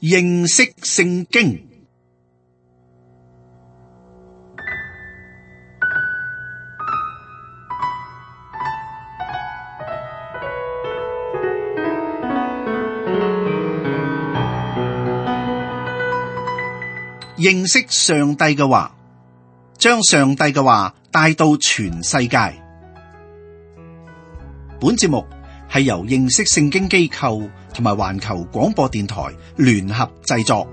認識聖經。認識上帝嘅話，將上帝嘅話帶到全世界。本節目係由認識聖經機構同埋環球廣播電台聯合製作。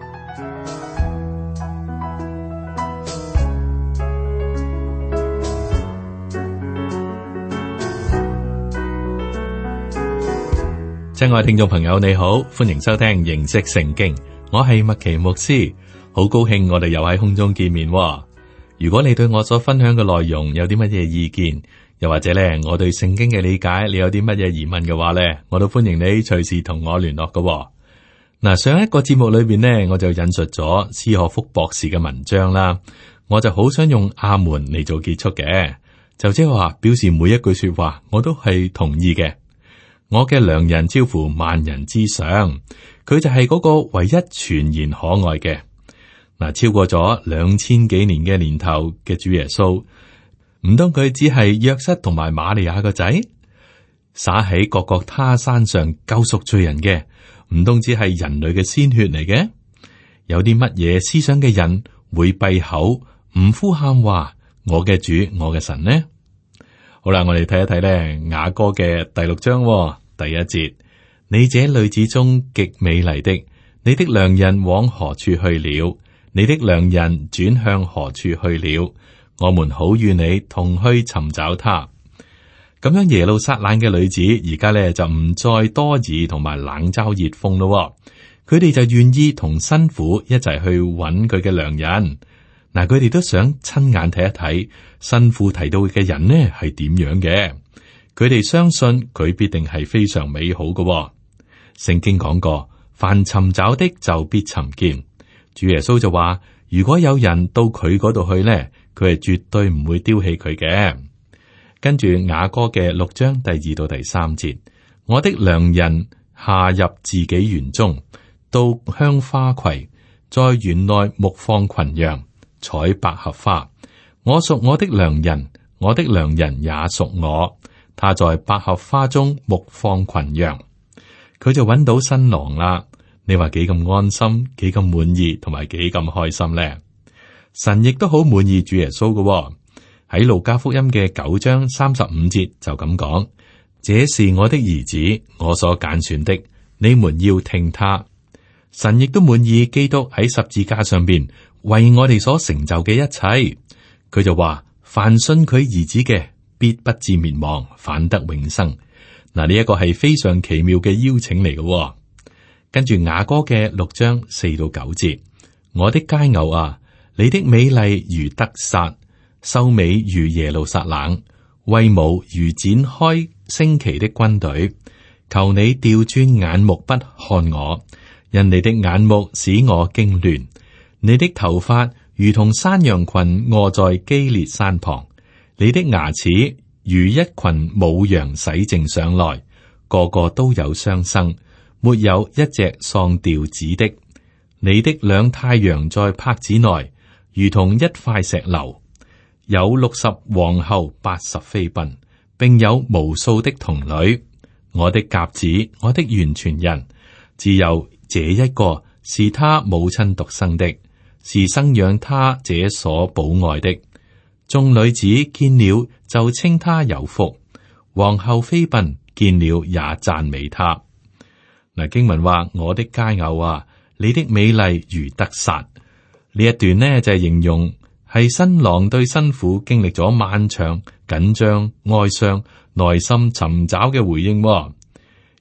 親愛聽眾朋友，你好，歡迎收聽認識聖經，我係麥奇牧師。好高興我哋又喺空中見面喎。如果你對我所分享嘅內容有啲乜嘢意見，又或者咧我對聖經嘅理解，你有啲乜嘢疑問嘅話咧，我都歡迎你隨時同我聯絡㗎喎。嗱，上一個節目裏邊呢，我就引述咗斯可福博士嘅文章啦。我就好想用阿門嚟做結束嘅，就即係話表示每一句說話我都係同意嘅。我嘅良人超乎萬人之上，佢就係嗰個唯一全然可愛嘅。嗱，超過咗2000幾年嘅年頭嘅主耶穌，唔通佢只係約瑟同埋瑪利亞個仔，灑喺各各他山上救贖罪人嘅？唔通只係人類嘅鮮血嚟嘅？有啲乜嘢思想嘅人會閉口唔呼喊話我嘅主，我嘅神呢？好啦，我哋睇一睇咧雅歌嘅第6章第1節，你這女子中極美麗的，你的良人往何處去了？你的良人轉向何處去了？我們好與你同去尋找他。咁樣耶路撒冷嘅女子而家咧就唔再多疑同埋冷嘲熱諷咯。佢哋就願意同新婦一齊去揾佢嘅良人。嗱，佢哋都想親眼睇一睇新婦提到嘅人呢係點樣嘅。佢哋相信佢必定係非常美好嘅。聖經講過，凡尋找的就必尋見。主耶穌就話，如果有人到佢嗰度去呢，佢係絕對唔會丟棄佢嘅。跟住雅歌嘅6章第2到第3節，我的良人下入自己園中，到香花畦，在園內牧放群羊，採百合花。我屬我的良人，我的良人也屬我。他在百合花中牧放群羊，佢就揾到新郎啦。你話幾咁安心，幾咁滿意，同埋幾咁開心呢？神亦都好滿意主耶穌嘅。喺路加福音嘅9章35節就咁講：這是我的兒子，我所揀選的，你們要聽他。神亦都滿意基督喺十字架上邊為我哋所成就嘅一切。佢就話：凡信佢兒子嘅，必不至滅亡，反得永生。嗱，呢一個係非常奇妙嘅邀請嚟嘅。跟住雅歌嘅6章4到9節，我的佳偶啊，你的美麗如得撒，秀美如耶路撒冷，威武如展開旌旗的軍隊。求你調轉眼目不看我，因你的眼目使我驚亂。你的頭髮如同山羊群臥在基列山旁，你的牙齒如一群母羊洗淨上來，個個都有雙生，沒有一隻喪掉子的。你的兩太陽在帕子內，如同一塊石榴。有60皇后80妃嬪，並有無數的童女。我的鴿子，我的完全人，只有這一個是他母親獨生的，是生養他這所寶愛的。眾女子見了就稱他有福，皇后妃嬪見了也讚美他。嗱，經文話：我的佳偶啊，你的美麗如得撒。呢一段呢就係形容係新郎對新婦經歷咗漫長、緊張、哀傷、內心尋找嘅回應。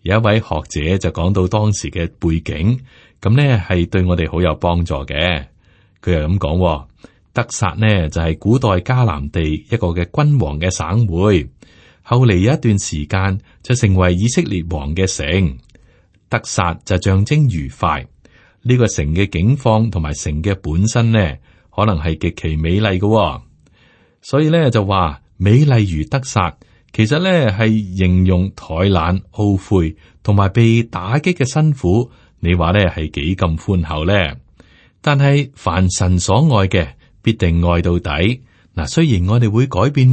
有一位學者就講到當時嘅背景，咁呢係對我哋好有幫助嘅。佢又咁講：得撒呢就係古代迦南地一個嘅君王嘅省會，後嚟有一段時間就成為以色列王嘅城。得撒就象徵愉快，呢個城嘅景況同埋城嘅本身呢，可能係極其美麗嘅，所以咧就話美麗如得撒，其實咧係形容怠懶、懊悔同埋被打擊嘅辛苦你話咧係幾咁寬厚咧？但係凡神所愛嘅，必定愛到底。嗱，雖然我哋會改變，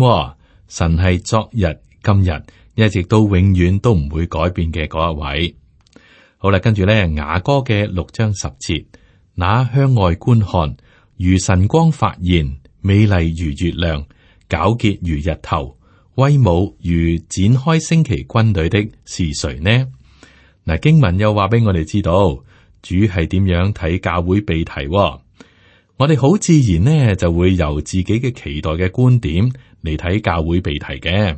神係昨日、今日一直到永遠都唔會改變嘅嗰一位。好啦，跟住咧雅歌嘅6章10節，那向外觀看，如晨光發現，美麗如月亮，皎潔如日頭，威武如展開旌旗軍隊的是誰呢？嗱，經文又話俾我哋知道，主係點樣睇教會被提。我哋好自然呢就會由自己嘅期待嘅觀點嚟睇教會被提嘅。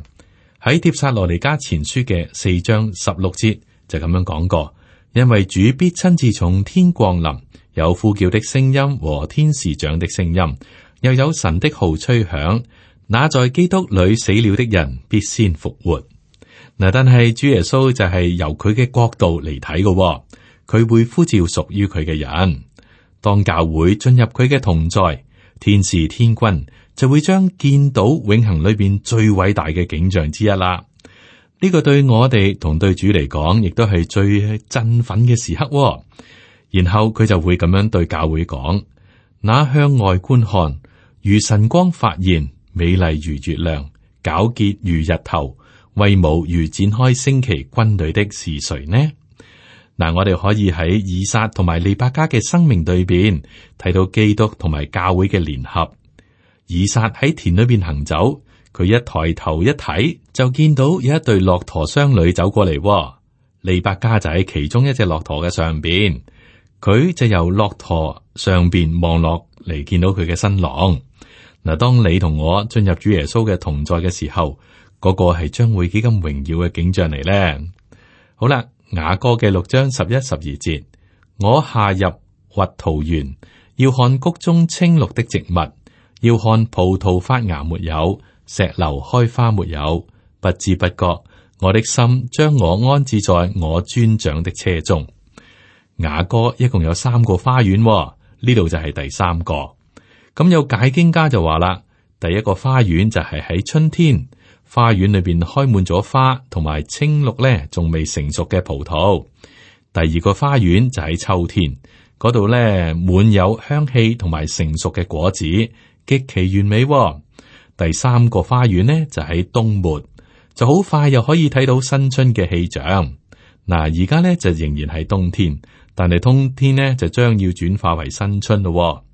喺帖撒羅尼迦前書嘅4章16節就咁樣講過，因為主必親自從天降臨，有呼叫的聲音和天使長的聲音，又有神的號吹響，那在基督裏死了的人必先復活。嗱，但係主耶穌就係由佢嘅角度嚟睇嘅，佢會呼召屬於佢嘅人。當教會進入佢嘅同在，天使天軍就會將見到永恆裏邊最偉大嘅景象之一啦。呢個對我哋同對主嚟講，亦都係最振奮嘅時刻。然後佢就會咁樣對教會講：那向外觀看，如晨光發現，美麗如月亮，皎潔如日頭，威武如展開旌旗軍隊的是誰呢？嗱，我哋可以喺以撒同埋利百加嘅生命對邊睇到基督同埋教會嘅聯合。以撒喺田裏邊行走，佢一抬頭一睇就見到有一對駱駝商旅走過嚟。利百加就喺其中一隻駱駝嘅上邊，佢就由駱駝上邊望落嚟，見到佢嘅新郎。嗱，當你同我進入主耶穌嘅同在嘅時候，嗰個係將會幾咁榮耀嘅景象嚟咧。好啦。雅歌嘅6章11、12節，我下入核桃園，要看谷中青綠的植物，要看葡萄發芽沒有，石榴開花沒有。不知不覺，我的心將我安置在我尊長的車中。雅歌一共有3個花園，呢度就係第3個。咁有解經家就話啦，第一個花園就係喺春天。花園裏邊開滿咗花，同埋青綠咧，仲未成熟嘅葡萄。第二個花園就喺秋天，嗰度咧滿有香氣同埋成熟嘅果子，極其完美。第3個花園呢，就喺冬末，就好快又可以睇到新春嘅氣象。嗱，而家咧就仍然係冬天，但係冬天呢，就將要轉化為新春咯。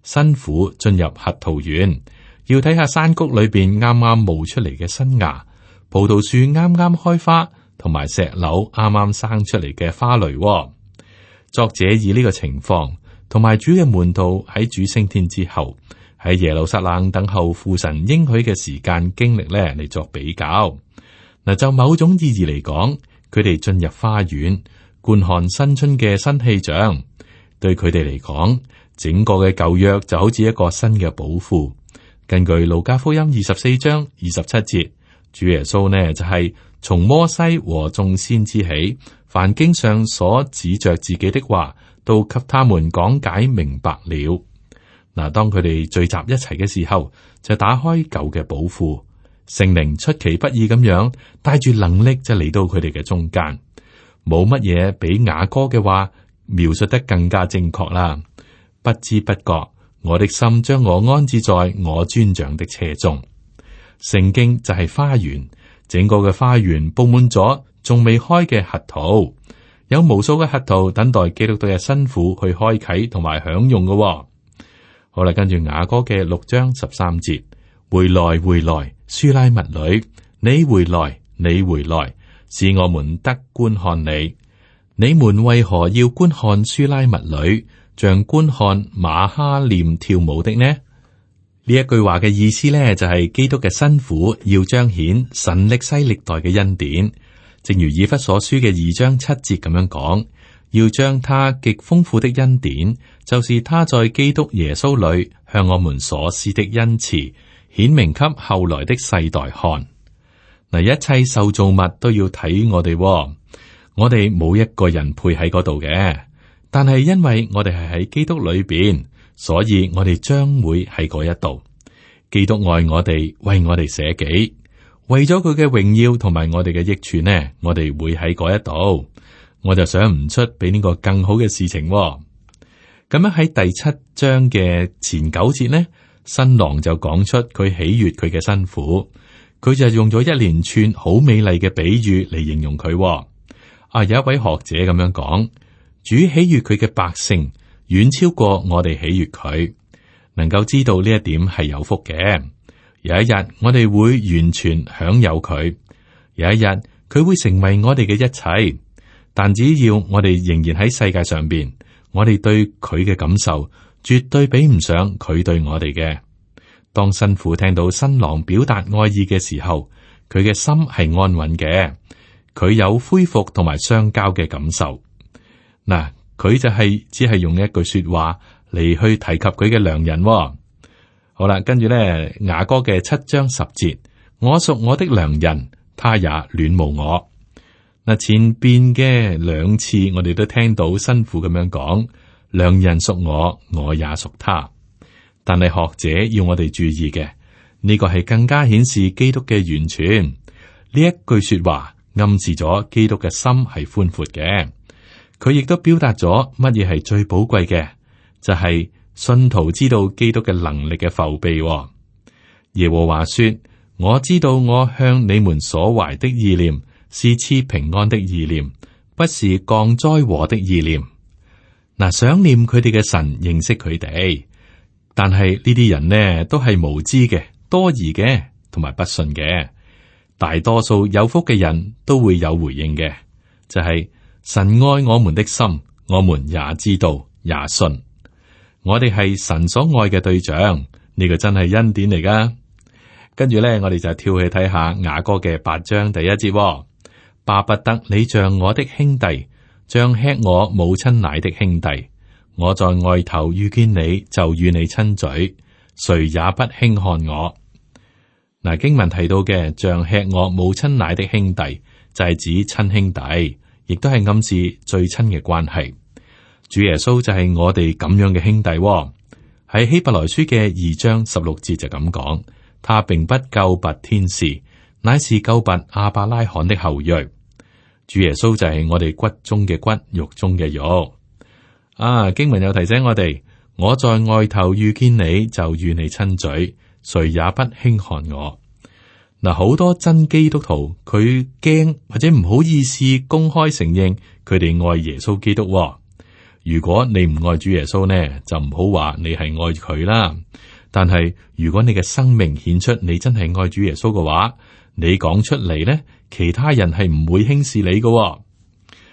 新婦進入核桃園。要睇下山谷裏邊啱啱冒出嚟嘅新芽，葡萄樹啱啱開花，同埋石榴啱啱生出嚟嘅花蕾。作者以呢個情況同埋主嘅門徒喺主升天之後喺耶路撒冷等候父神應許嘅時間經歷咧嚟作比較。嗱，就某種意義嚟講，佢哋進入花園觀看新春嘅新氣象，對佢哋嚟講，整個嘅舊約就好似一個新嘅寶庫。根據路加福音24章27節，主耶穌呢就係從摩西和眾先知起，凡經上所指着自己的話，都給他們講解明白了。嗱，當佢哋聚集一齊嘅時候，就打開舊嘅寶庫，聖靈出其不意咁樣帶住能力就嚟到佢哋嘅中間，冇乜嘢比雅歌嘅話描述得更加正確啦。不知不覺，我的心將我安置在我尊長的車中。聖經就係花園，整個嘅花園佈滿咗仲未開嘅核桃，有無數嘅核桃等待基督徒嘅新婦去開啟同埋享用嘅。好啦，跟住雅歌嘅6章13節，回來回來，書拉密女，你回來，你回來，使我們得觀看你。你們為何要觀看書拉密女，像觀看瑪哈念跳舞的呢？呢一句話嘅意思呢，就係基督嘅新婦要彰顯神歷世歷代嘅恩典，正如以弗所書嘅2章7節咁樣講，要將他極豐富的恩典，就是他在基督耶穌裏向我們所施的恩慈，顯明給後來的世代看。嗱，一切受造物都要睇我哋，我哋冇一個人配喺嗰度嘅。但係因為我哋係喺基督裏邊，所以我哋將會喺嗰一度。基督愛我哋，為我哋捨己，為咗佢嘅榮耀同埋我哋嘅益處呢，我哋會喺嗰一度。我就想唔出比呢個更好嘅事情喎。咁樣喺第7章嘅前9節呢，新郎就講出佢喜悅佢嘅新婦，佢就用咗一連串好美麗嘅比喻嚟形容佢喎。有一位學者咁樣講，主喜悅佢嘅百姓遠超過我哋喜悅佢，能夠知道呢一點係有福嘅。有一日我哋會完全享有佢，有一日佢會成為我哋嘅一切。但只要我哋仍然喺世界上邊，我哋對佢嘅感受絕對比唔上佢對我哋嘅。當新婦聽到新郎表達愛意嘅時候，佢嘅心係安穩嘅，佢有恢復同埋相交嘅感受。嗱，佢就只係用一句說話嚟去提及佢嘅良人喎。好啦，跟住咧雅歌嘅7章10節，我屬我的良人，他也戀慕我。嗱，前邊嘅2次我哋都聽到新婦咁樣講，良人屬我，我也屬他。但係學者要我哋注意嘅，呢個係更加顯示基督嘅完全。呢一句說話暗示咗基督嘅心係寬闊嘅，佢亦都表達咗乜嘢係最寶貴嘅，就係信徒知道基督嘅能力嘅覆庇。耶和華說：我知道我向你們所懷的意念是賜平安的意念，不是降災禍的意念。嗱，想念佢哋嘅神，認識佢哋，但係呢啲人呢都係無知嘅、多疑嘅，同埋不信嘅。大多數有福嘅人都會有回應嘅，就係神愛我們的心，我們也知道也信。我哋係神所愛嘅對象，呢個真係恩典嚟噶。跟住咧，我哋就跳去睇下雅歌嘅8章第1節。巴不得你像我的兄弟，像吃我母親奶的兄弟。我在外頭遇見你，就與你親嘴，誰也不輕看我。嗱，經文提到嘅像吃我母親奶的兄弟，就係指親兄弟，亦都係暗示最親嘅關係。主耶穌就係我哋咁樣嘅兄弟。喺希伯來書嘅2章16節就咁講，他並不救拔天使，乃是救拔亞伯拉罕的後裔。主耶穌就係我哋骨中嘅骨，肉中嘅肉。經文又提醒我哋，我在外頭遇見你，就與你親嘴，誰也不輕看我。嗱，好多真基督徒佢驚或者唔好意思公開承認佢哋愛耶穌基督。如果你唔愛主耶穌呢，就唔好話你係愛佢啦。但係如果你嘅生命顯出你真係愛主耶穌嘅話，你講出嚟呢，其他人係唔會輕視你嘅。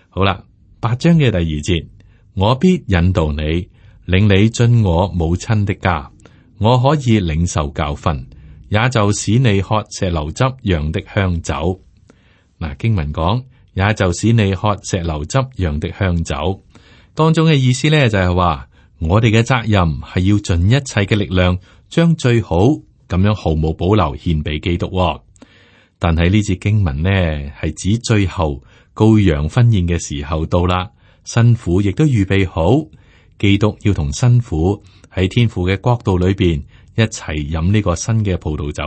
好啦，8章嘅第2節，我必引導你，領你進我母親的家，我可以領受教訓，也就使你喝石榴汁釀的香酒。嗱，經文講，也就使你喝石榴汁釀的香酒，當中嘅意思咧就係話，我哋嘅責任係要盡一切嘅力量，將最好咁樣毫無保留獻俾基督。但係呢節經文呢，係指最後羔羊婚宴嘅時候到啦，新婦亦都預備好，基督要同新婦喺天父嘅國度裏邊一齊飲呢個新嘅葡萄酒。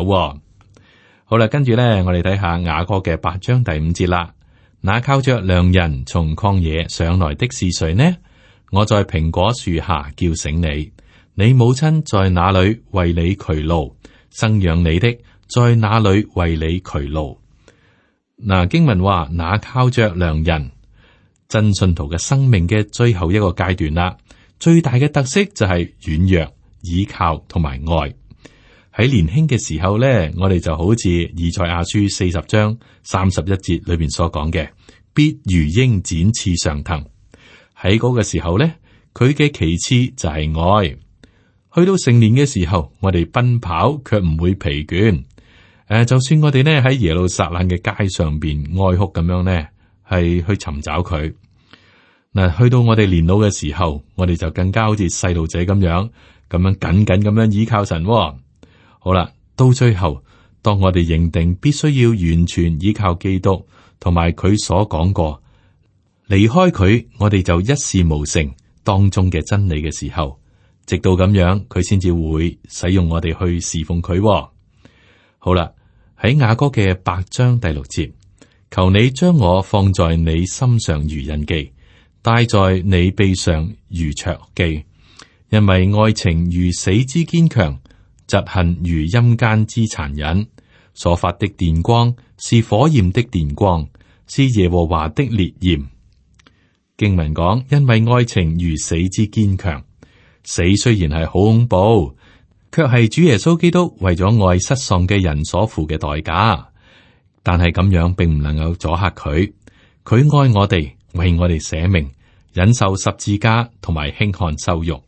好啦，跟住呢，我哋睇下雅歌嘅8章第5節啦。那靠着良人從曠野上來的是誰呢？我在蘋果樹下叫醒你，你母親在哪裏為你劬勞？生養你的在哪裏為你劬勞？嗱，經文話，那靠着良人，真信徒嘅生命嘅最後一個階段啦，最大嘅特色就係軟弱、倚靠同埋愛。喺年輕嘅時候咧，我哋就好似以賽亞書40章31節裏邊所講嘅，必如鷹展翅上騰。喺嗰個時候咧，佢嘅旗幟就係愛。去到成年嘅時候，我哋奔跑卻唔會疲倦。就算我哋呢喺耶路撒冷嘅街上邊哀哭咁樣呢，係去尋找佢。嗱，去到我哋年老嘅時候，我哋就更加好似細路仔咁樣緊緊咁樣依靠神。好啦，到最後，當我哋認定必須要完全依靠基督，同埋佢所講過，離開佢，我哋就一事無成當中嘅真理嘅時候，直到咁樣，佢先至會使用我哋去侍奉佢。好啦，喺雅歌嘅8章第6節，求你將我放在你心上如印記，帶在你臂上如戳記。因為愛情如死之堅強，嫉恨如陰間之殘忍。所發的電光是火焰的電光，是耶和華的烈焰。經文講，因為愛情如死之堅強。死雖然係好恐怖，卻係主耶穌基督為咗愛失喪嘅人所付嘅代價。但係咁樣並唔能夠阻嚇佢。佢愛我哋，為我哋捨命，忍受十字架同埋輕看羞辱。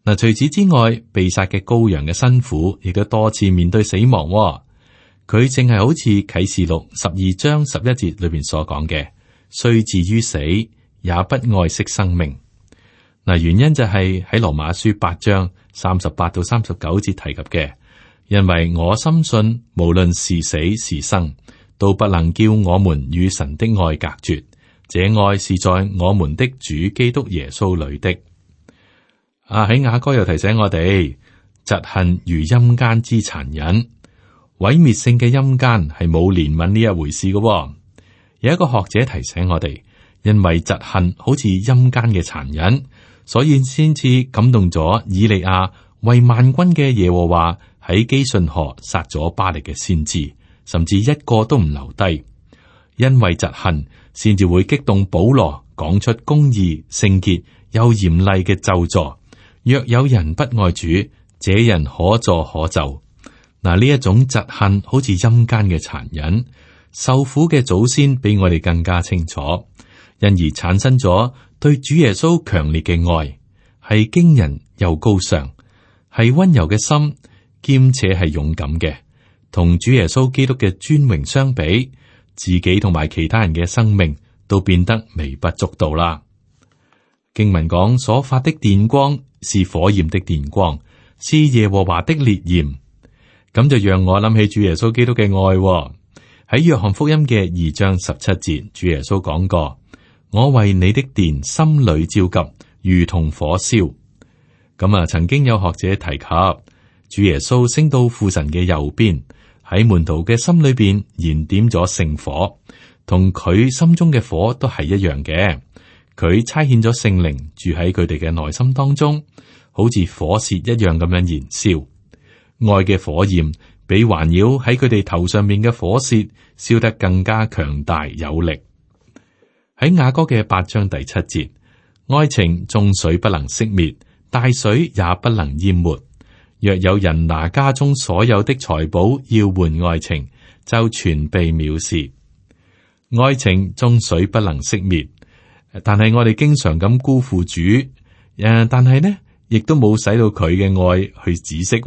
嗱，除此之外，被殺嘅羔羊嘅辛苦，亦都多次面對死亡。佢淨係好似啟示錄12章11節裏邊所講嘅，雖至於死，也不愛惜生命。嗱，原因就係喺羅馬書8章38到39節提及嘅，因為我深信，無論是死是生，都不能叫我們與神的愛隔絕。這愛是在我們的主基督耶穌裏的。喺雅歌又提醒我哋，嫉恨如陰間之殘忍。毀滅性嘅陰間係冇憐憫呢一回事嘅。有一個學者提醒我哋，因為嫉恨好似陰間嘅殘忍，所以先至感動咗以利亞為萬軍嘅耶和華喺基順河殺咗巴力嘅先知，甚至一個都唔留低。因為嫉恨，先至會激動保羅講出公義、聖潔又嚴厲嘅咒詛。若有人不愛主，這人可詛可咒。嗱，呢一種嫉恨好似陰間嘅殘忍，受苦嘅祖先比我哋更加清楚，因而產生咗對主耶穌強烈嘅愛，係驚人又高尚，係溫柔嘅心，兼且係勇敢嘅。同主耶穌基督嘅尊榮相比，自己同埋其他人嘅生命都變得微不足道啦。經文講，所發的電光是火焰的電光，是耶和華的烈焰。咁就讓我諗起主耶穌基督嘅愛喎。喺約翰福音嘅2章17節，主耶穌講過：我為你的殿心裏焦急，如同火燒。咁曾經有學者提及，主耶穌升到父神嘅右邊，喺門徒嘅心裏邊燃點咗聖火，同佢心中嘅火都係一樣嘅。佢差遣咗聖靈住喺佢哋嘅內心當中，好似火舌一樣咁樣燃燒。愛嘅火焰比環繞喺佢哋頭上面嘅火舌燒得更加強大有力。喺雅歌嘅8章第7節，愛情眾水不能熄滅，大水也不能淹沒。若有人拿家中所有的財寶要換愛情，就全被藐視。愛情眾水不能熄滅，但係我哋經常咁辜負主，但係呢，亦都冇使到佢嘅愛去止息。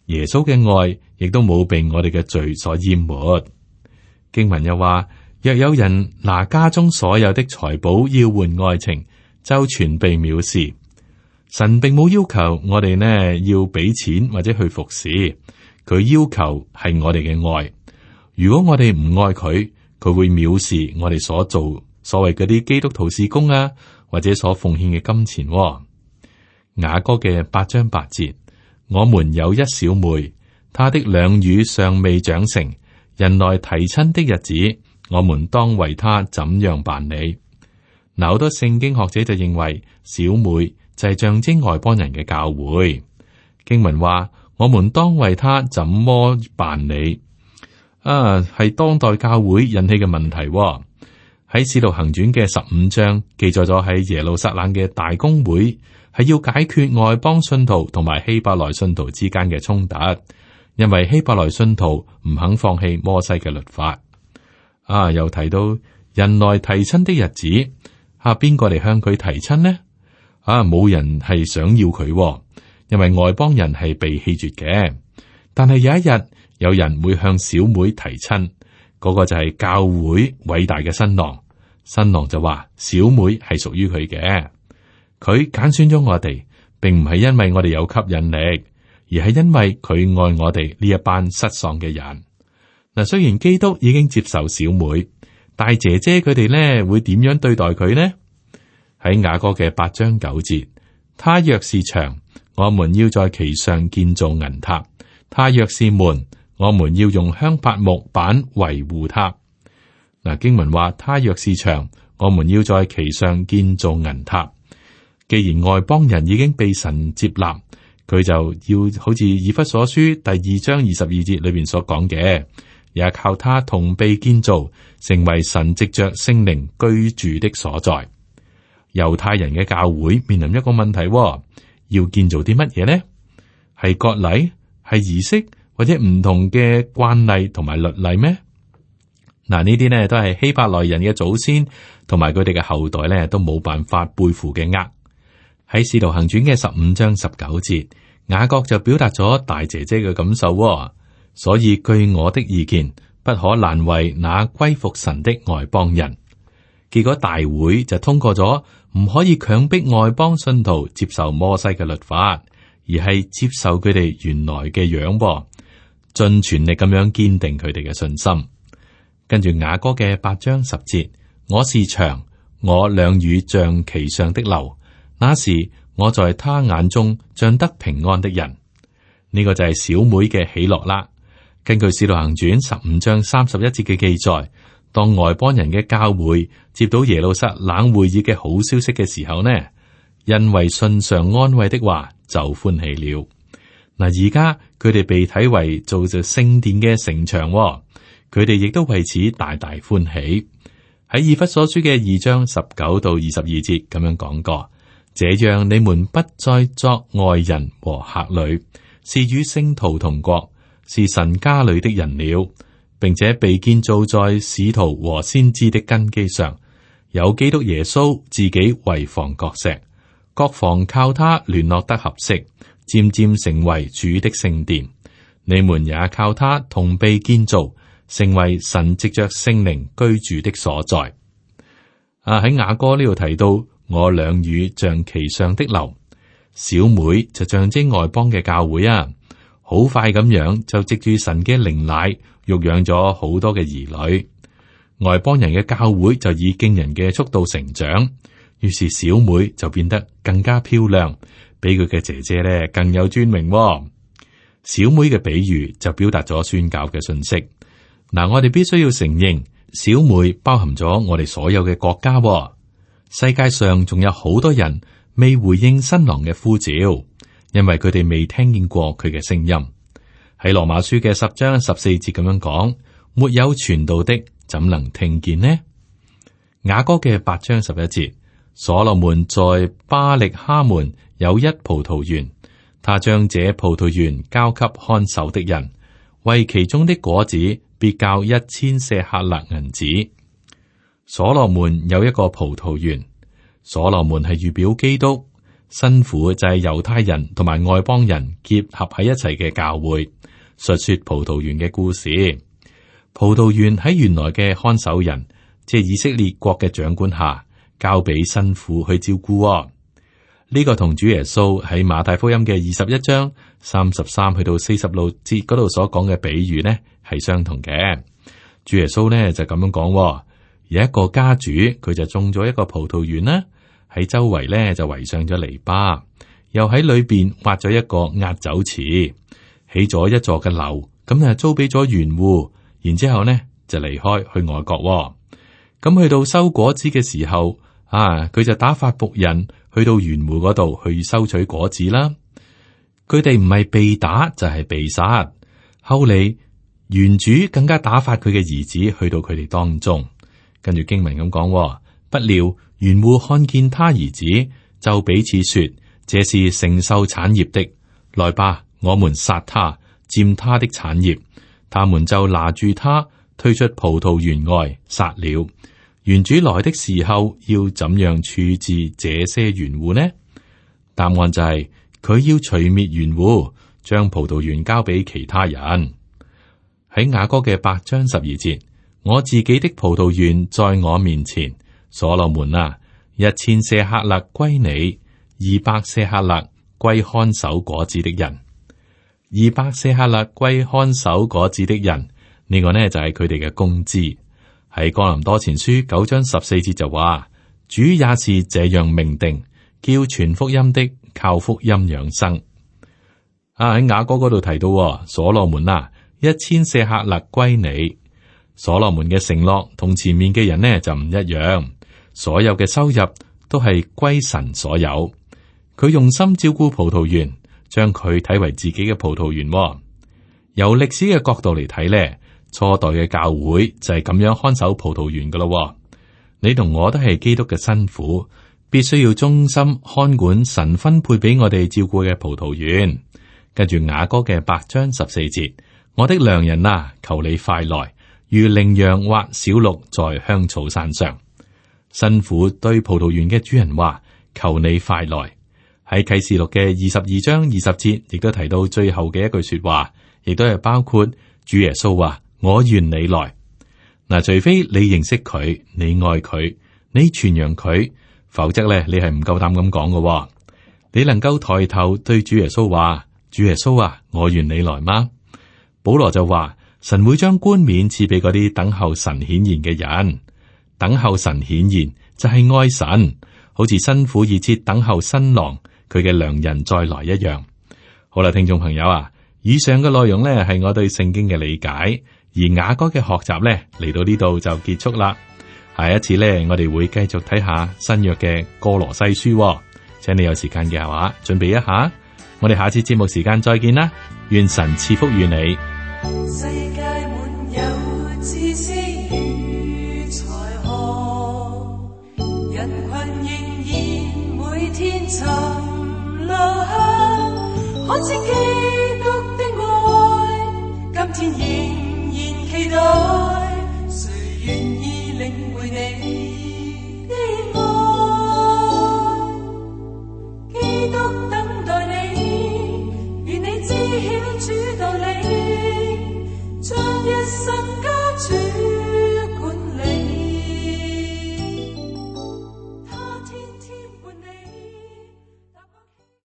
耶穌嘅愛亦都冇被我哋嘅罪所淹沒。經文又話，若有人拿家中所有的財寶要換愛情，就全被藐視。神並冇要求我哋呢要俾錢或者去服侍，佢要求係我哋嘅愛。如果我哋唔愛佢，佢會藐視我哋所做所謂嗰啲基督徒事工啊，或者所奉獻嘅金錢。雅歌嘅8章8節。我們有一小妹，她的兩乳尚未長成，人來提親的日子，我們當為她怎樣辦理？嗱，好多聖經學者就認為小妹就係象徵外邦人嘅教會。經文話，我們當為她怎麼辦理？係當代教會引起嘅問題。喺使徒行傳嘅15章記載咗喺耶路撒冷嘅大公會。係要解決外邦信徒同埋希伯來信徒之間嘅衝突，因為希伯來信徒唔肯放棄摩西嘅律法。又提到人來提親的日子，邊個嚟向佢提親呢？冇人係想要佢，因為外邦人係被棄絕嘅。但係有一日，有人會向小妹提親，嗰個就係教會偉大嘅新郎。新郎就話小妹係屬於佢嘅。佢揀選咗我哋，並唔係因為我哋有吸引力，而係因為佢愛我哋呢一班失喪嘅人。嗱，雖然基督已經接受小妹，但係姐姐佢哋呢會點樣對待佢呢？喺雅歌嘅8章9節，他若是牆，我們要在其上建造銀塔；他若是門，我們要用香柏木板維護他。嗱，經文話：他若是牆，我們要在其上建造銀塔。既然外邦人已經被神接納，佢就要好似以弗所書第2章22節裏邊所講嘅，也靠他同被建造，成為神藉着聖靈居住的所在。猶太人嘅教會面臨一個問題，要建造啲乜嘢呢？係割禮、係儀式，或者唔同嘅慣例同埋律例咩？嗱，呢啲呢都係希伯來人嘅祖先同埋佢哋嘅後代呢都冇辦法背負嘅軛。喺《使徒行傳》嘅15章19節，雅各就表達咗大姐姐嘅感受，所以據我的意見，不可難為那歸服神的外邦人。結果大會就通過咗，唔可以強迫外邦信徒接受摩西嘅律法，而係接受佢哋原來嘅樣，盡全力咁樣堅定佢哋嘅信心。跟住雅歌嘅8章10節，我是牆，我兩乳像其上的樓，那時我在他眼中像得平安的人。呢個就係小妹嘅喜樂啦。根據《使徒行傳》15章31節嘅記載，當外邦人嘅教會接到耶路撒冷會議嘅好消息嘅時候呢，因為信上安慰的話就歡喜了。嗱，而家佢哋被睇為做就聖殿嘅城牆，佢哋亦都為此大大歡喜。喺以弗所書嘅2章19到22節咁樣講過，這樣你們不再作外人和客旅，是與聖徒同國，是神家裏的人了，並且被建造在使徒和先知的根基上，有基督耶穌自己為房角石，各房靠他聯絡得合適，漸漸成為主的聖殿。你們也靠他同被建造，成為神藉着聖靈居住的所在。喺雅歌呢度提到，我兩乳像其上的樓，小妹就象徵外邦嘅教會啊。好快咁樣就藉住神嘅靈奶，育養咗好多嘅兒女。外邦人嘅教會就以驚人嘅速度成長，於是小妹就變得更加漂亮，比佢嘅姐姐咧更有尊榮。小妹嘅比喻就表達咗宣教嘅信息。嗱，我哋必須要承認，小妹包含咗我哋所有嘅國家。世界上仲有好多人未回應新郎嘅呼召，因為佢哋未聽見過佢嘅聲音。喺羅馬書嘅10章14節咁樣講，沒有傳道的，怎能聽見呢？雅歌嘅8章11節，所羅門在巴力哈門有一葡萄園，他將這葡萄園交給看守的人，為其中的果子必交1000舍客勒銀子。所羅門有一個葡萄園，所羅門係預表基督，新婦就係猶太人同埋外邦人結合喺一齊嘅教會，述說葡萄園嘅故事。葡萄園喺原來嘅看守人，即係以色列國嘅長官下，交俾新婦去照顧。呢個同主耶穌喺馬太福音嘅21章33去到46節嗰度所講嘅比喻呢，係相同嘅。主耶穌呢就咁樣講，有一個家主，佢就種咗一個葡萄園啦，喺周圍呢就圍上咗籬笆，又喺裏邊挖咗一個壓酒池，起咗一座嘅樓，咁就租俾咗園戶，然之後呢就離開去外國。咁去到收果子嘅時候，佢就打發僕人去到園戶嗰度去收取果子啦。佢哋唔係被打就係被殺。後嚟園主更加打發佢嘅兒子去到佢哋當中。跟住經文咁講，不料園戶看見他兒子，就彼此說：這是承受產業的，來吧，我們殺他，佔他的產業。他們就拿住他，推出葡萄園外，殺了。園主來的時候，要怎樣處置這些園戶呢？答案就係佢要除滅園戶，將葡萄園交俾其他人。喺雅歌嘅8章12節。我自己的葡萄園在我面前，所羅門啊，1000舍客勒歸你，200舍客勒歸看守果子的人，200舍客勒歸看守果子的人，呢個呢就係佢哋嘅工資。喺哥林多前書9章14節就話，主也是這樣命定，叫傳福音的靠福音養生。喺雅歌嗰度提到，所羅門啊，1000舍客勒歸你。所羅門嘅承諾同前面嘅人呢就唔一樣，所有嘅收入都係歸神所有。佢用心照顧葡萄園，將佢睇為自己嘅葡萄園喎。由歷史嘅角度嚟睇呢，初代嘅教會就係咁樣看守葡萄園噶咯。你同我都係基督嘅新婦，必須要忠心看管神分配俾我哋照顧嘅葡萄園。跟住雅歌嘅8章14節，我的良人啊，求你快來，如羚羊或小鹿在香草山上。新婦對葡萄園嘅主人話：求你快來。喺啟示錄嘅22章20節，亦都提到最後嘅一句說話，亦都係包括主耶穌話：我願你來。嗱，除非你認識佢，你愛佢，你傳揚佢，否則咧你係唔夠膽咁講嘅。你能夠抬頭對主耶穌話：主耶穌啊，我願你來嗎？保羅就話：神會將冠冕賜俾嗰啲等候神顯現嘅人。等候神顯現就係愛神，好似新婦熱切等候新郎佢嘅良人再來一樣。好啦，聽眾朋友啊，以上嘅內容呢係我對聖經嘅理解，而雅歌嘅學習呢嚟到呢度就結束啦。下一次呢，我哋會繼續睇下新約嘅歌羅西書，請你有時間嘅話準備一下。我哋下次節目時間再見啦，願神賜福於你。世界滿有知識與才學，人群仍然每天尋路向，看見基督的愛，今天仍然期待，誰願意領會你的愛？基督等待你，願你知曉主道理，將一生